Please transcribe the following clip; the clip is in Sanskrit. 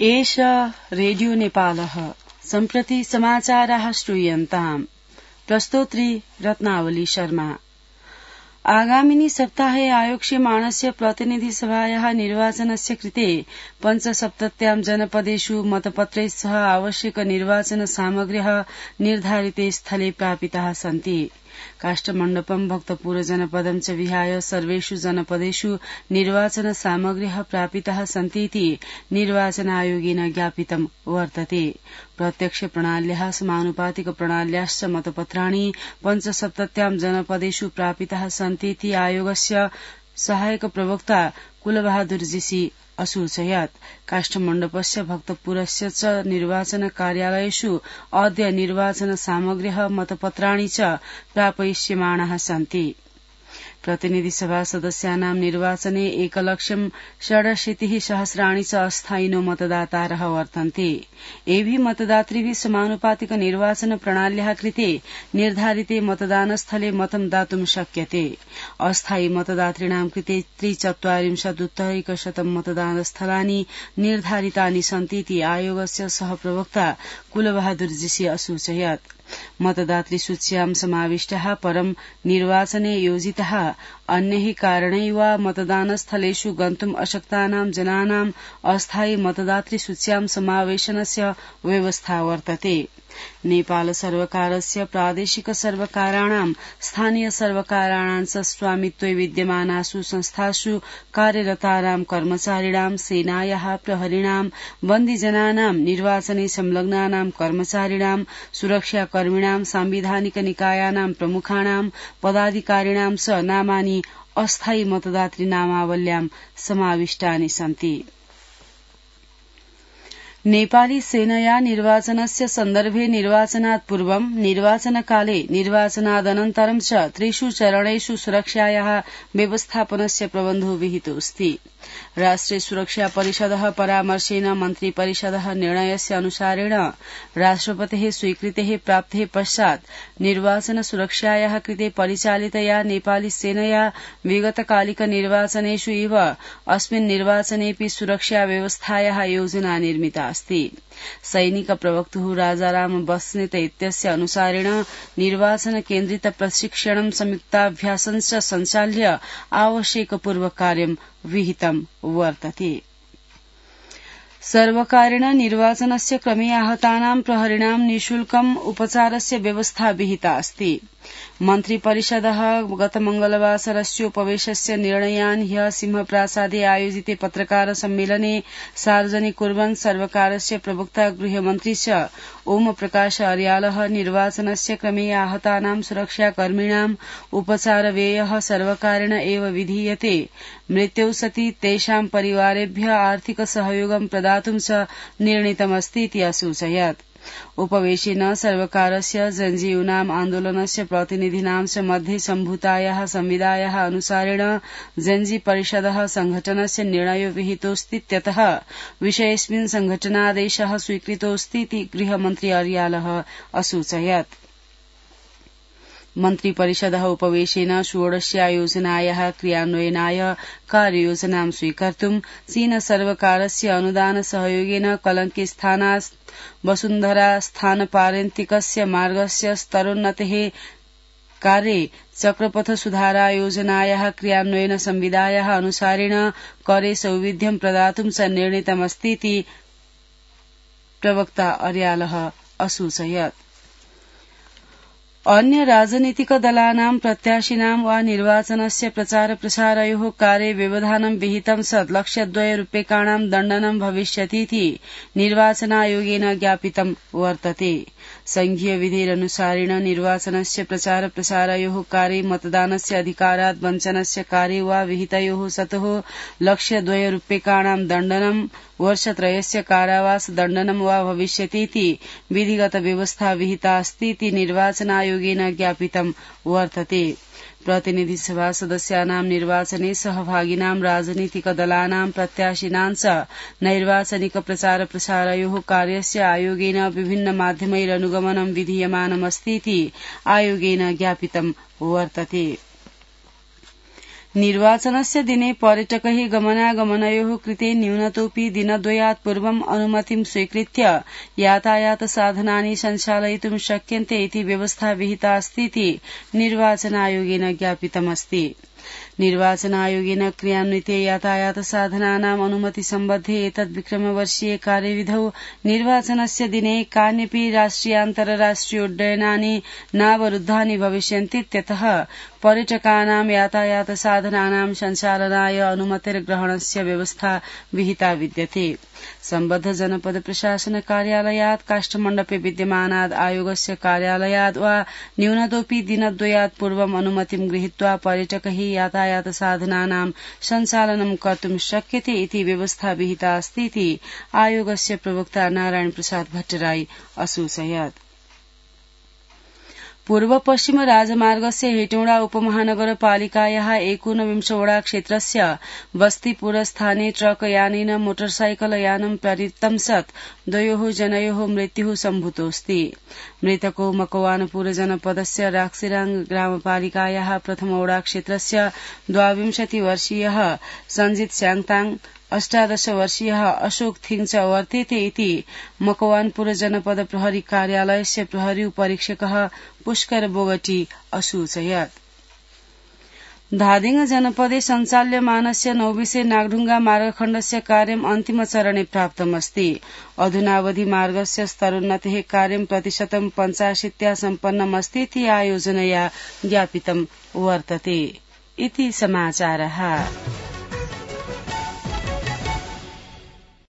एष रेडियो नेपालः सम्प्रति समाचाराः श्रूयन्ताम्। प्रस्तोत्री रत्नावली शर्मा। आगामिनि सप्ताहे आयोक्ष्यमाणस्य प्रतिनिधिसभायाः निर्वाचनस्य कृते 75 जनपदेषु मतपत्रैः सह आवश्यक निर्वाचन सामग्र्यः निर्धारिते स्थले प्रापिताः सन्ति। काष्ठमण्डपं भक्तपुर जनपदं च विहाय सर्वेषु जनपदेषु निर्वाचन सामग्र्यः प्रापिताः सन्तीति निर्वाचन आयोगेन ज्ञापितं वर्तते। प्रत्यक्ष प्रणाल्याः समानुपातिक प्रणाल्याश्च मतपत्राणि 75 जनपदेषु प्रापिताः सन्तीति आयोगस्य सहायक प्रवक्ता कुलबहादुर जीसी असूचयत्। काष्ठमण्डपस्य भक्तपुरस्य च निर्वाचन कार्यालयेषु अद्य निर्वाचन सामग्र्यः मतपत्राणि च प्रापयिष्यमाणाः सन्ति। प्रतिनिधिसभा सदस्यानां निर्वाचने 1,67,000 च अस्थायिनो मतदातारः वर्तन्ते। एभिः मतदातृभिः समानुपातिक निर्वाचन प्रणाल्याः कृते निर्धारिते मतदानस्थले मतं दातुं शक्यते। अस्थायी मतदातॄणां कृते 43% मतदानस्थलानि निर्धारितानि सन्तीति आयोगस्य सहप्रवक्ता कुलबहादुर जीसी असूचयत्। मतदातृसूच्यां समाविष्टाः परं निर्वाचने योजिताः अन्यैः कारणैः वा मतदानस्थलेषु गन्तुम् अशक्तानां जनानां अस्थायी मतदातृसूच्यां समावेशनस्य व्यवस्था वर्तते। नेपाल सर्वकारस्य प्रादेशिक सर्वकाराणां स्थानीय सर्वकाराणां च स्वामित्वे विद्यमानासु संस्थासु कार्यरतानां कर्मचारिणां सेनायाः प्रहरीणां बन्दीजनानां निर्वाचने संलग्नानां कर्मचारिणां सुरक्षाकर्मिणां सांविधानिक निकायानां प्रमुखाणां पदाधिकारिणां च नामानि अस्थायी मतदातृ नामावल्यां समाविष्टानि सन्ति। नेपाली सेनया निर्वाचनस्य सन्दर्भे निर्वाचनात् पूर्वं निर्वाचनकाले निर्वाचनादनन्तरं च 3 चरणेषु सुरक्षायाः व्यवस्थापनस्य परामर्शो विहितोऽस्ति। राष्ट्रिय सुरक्षा परिषदः परामर्शेन मन्त्रिपरिषदः निर्णयस्य अनुसारेण राष्ट्रपतेः स्वीकृतेः प्राप्तेः पश्चात् निर्वाचन सुरक्षायाः कृते परिचालितया नेपाली सेनया विगतकालिक निर्वाचनेषु इव अस्मिन् निर्वाचनेऽपि सुरक्षा व्यवस्थायाः योजना निर्मिता अस्ति। सैनिक प्रवक्तुः राजाराम बस्नेत इत्यस्य अनुसारेण निर्वाचन केन्द्रित प्रशिक्षणं संयुक्ताभ्यासं च सञ्चाल्य आवश्यक पूर्वकार्यं विहितं वर्तते। सर्वकारेण निर्वाचनस्य क्रमे आहतानां प्रहरिणां निःशुल्कम् उपचारस्य व्यवस्था विहिता अस्ति। मन्त्रिपरिषदः गत मंगलवासरस्योपवेशस्य निर्णयान् ह्यः सिंहप्रासादे आयोजिते पत्रकार सम्मेलने सार्वजनिक कुर्वन् सर्वकारस्य प्रवक्ता गृहमन्त्री च ओम प्रकाश अर्यालः निर्वाचनस्य क्रमे आहतानां सुरक्षाकर्मिणाम् उपचारव्ययः सर्वकारेण एव विधीयते। मृत्युः सति तेषां परिवारेभ्यः आर्थिक सहयोगं प्रदातुं च निर्णीतमस्तीति असूचयत्। उपवेशेन सर्वकारस्य जनजीवनाम् आन्दोलनस्य प्रतिनिधीनां च मध्ये सम्भूतायाः संविदायाः अनुसारेण जनजी परिषदः संघटनस्य निर्णयो विहितोऽस्तीत्यतः विषयेऽस्मिन् संघटनादेशः स्वीकृतोऽस्तीति गृहमन्त्री अर्यालः असूचयत्। मन्त्रिपरिषदः उपवेशेन 16 योजनायाः क्रियान्वयनाय कार्ययोजनां स्वीकर्तुं चीन सर्वकारस्य अनुदान सहयोगेन कलंकी स्थानात् वसुन्धरा स्थानपारन्तिकस्य मार्गस्य स्तरोन्नतेः कार्ये चक्रपथ सुधारा योजनायाः क्रियान्वयन संविदायाः अनुसारेण करे सौविध्यं प्रदातुं च निर्णीतमस्तीति प्रवक्ता अर्यालः असूचयत्। अन्य राजनीतिक दलानां प्रत्याशिनां वा निर्वाचनस्य प्रचार प्रसारयोः कार्ये व्यवधानं विहितं सत् 1,02 रूप्यकाणां दण्डनं भविष्यतीति निर्वाचनायोगेन ज्ञापितं वर्तते। संघीय विधेरनुसारेण निर्वाचनस्य प्रचार प्रसारयोः कार्ये मतदानस्य अधिकारात् वञ्चनस्य कार्ये वा विहितयोः सतोः 1,02 रूप्यकाणां दण्डनं वर्षत्रयस्य कारावास दण्डनं वा भविष्यतीति विधिगत व्यवस्था विहिता अस्तीति निर्वाचनायोगेन ज्ञापितं वर्तते। प्रतिनिधिसभा सदस्यानां निर्वाचने सहभागिनां राजनीतिक दलानां प्रत्याशिनां च नैर्वाचनिक प्रचार प्रसारयोः कार्यस्य आयोगेन विभिन्न माध्यमैरनुगमनं विधीयमानमस्तीति आयोगेन ज्ञापितं वर्तते। निर्वाचनस्य दिने पर्यटकैः गमनागमनयोः कृते न्यूनतोऽपि दिनद्वयात् पूर्वम् अनुमतिं स्वीकृत्य यातायातसाधनानि सञ्चालयितुं शक्यन्ते इति व्यवस्था विहिता अस्तीति निर्वाचनायोगेन ज्ञापितमस्ति। निर्वाचनायोगेन क्रियान्विते यातायातसाधनानाम् अनुमति सम्बद्धे एतद् विक्रमवर्षीय कार्यविधौ निर्वाचनस्य दिने कान्यपि राष्ट्रियान्तरराष्ट्रियोड्डयनानि नावरुद्धानि भविष्यन्तीत्यतः पर्यटकानां यातायातसाधनानां सञ्चालनाय अनुमतिर्ग्रहणस्य व्यवस्था विहिता विद्यते। सम्बद्ध जनपद प्रशासन कार्यालयात् काष्ठमण्डपे विद्यमानात् आयोगस्य कार्यालयात् वा न्यूनतोऽपि दिनद्वयात् पूर्वम् अनुमतिं गृहीत्वा पर्यटकैः यातायातसाधनानां सञ्चालनं कर्तुं शक्यते इति व्यवस्था विहिता अस्तीति आयोगस्य प्रवक्ता नारायण प्रसाद भट्टराई असूचयत्। पूर्व पश्चिम राजमार्गस्य हेटौडा उपमहानगरपालिकायाः 19 वडा क्षेत्रस्य बस्तीपुरस्थाने ट्रक यानेन मोटरसाइकल यानं प्रवृत्तं सत् 2 जनयोः मृत्युः सम्भूतोऽस्ति। मृतको मकवानपुर जनपदस्य राक्सिराङ ग्रामपालिकायाः प्रथम वडा क्षेत्रस्य 22 वर्षीयः सञ्जित स्याङताङ 18 वर्षीयः अशोक थिङ च वर्तेते इति मकवानपुर जनपद प्रहरी कार्यालयस्य प्रहरी उपरीक्षकः पुष्कर बोगटी असूचयत्। धादिङ जनपदे सञ्चाल्यमानस्य नौबिसे नागढुङ्गा मार्गखण्डस्य कार्यम् अन्तिमचरणे प्राप्तमस्ति। अधुनावधि मार्गस्य स्तरोन्नतेः कार्यं 85% सम्पन्नमस्तीति आयोजनया ज्ञापितं वर्तते। इति समाचारः।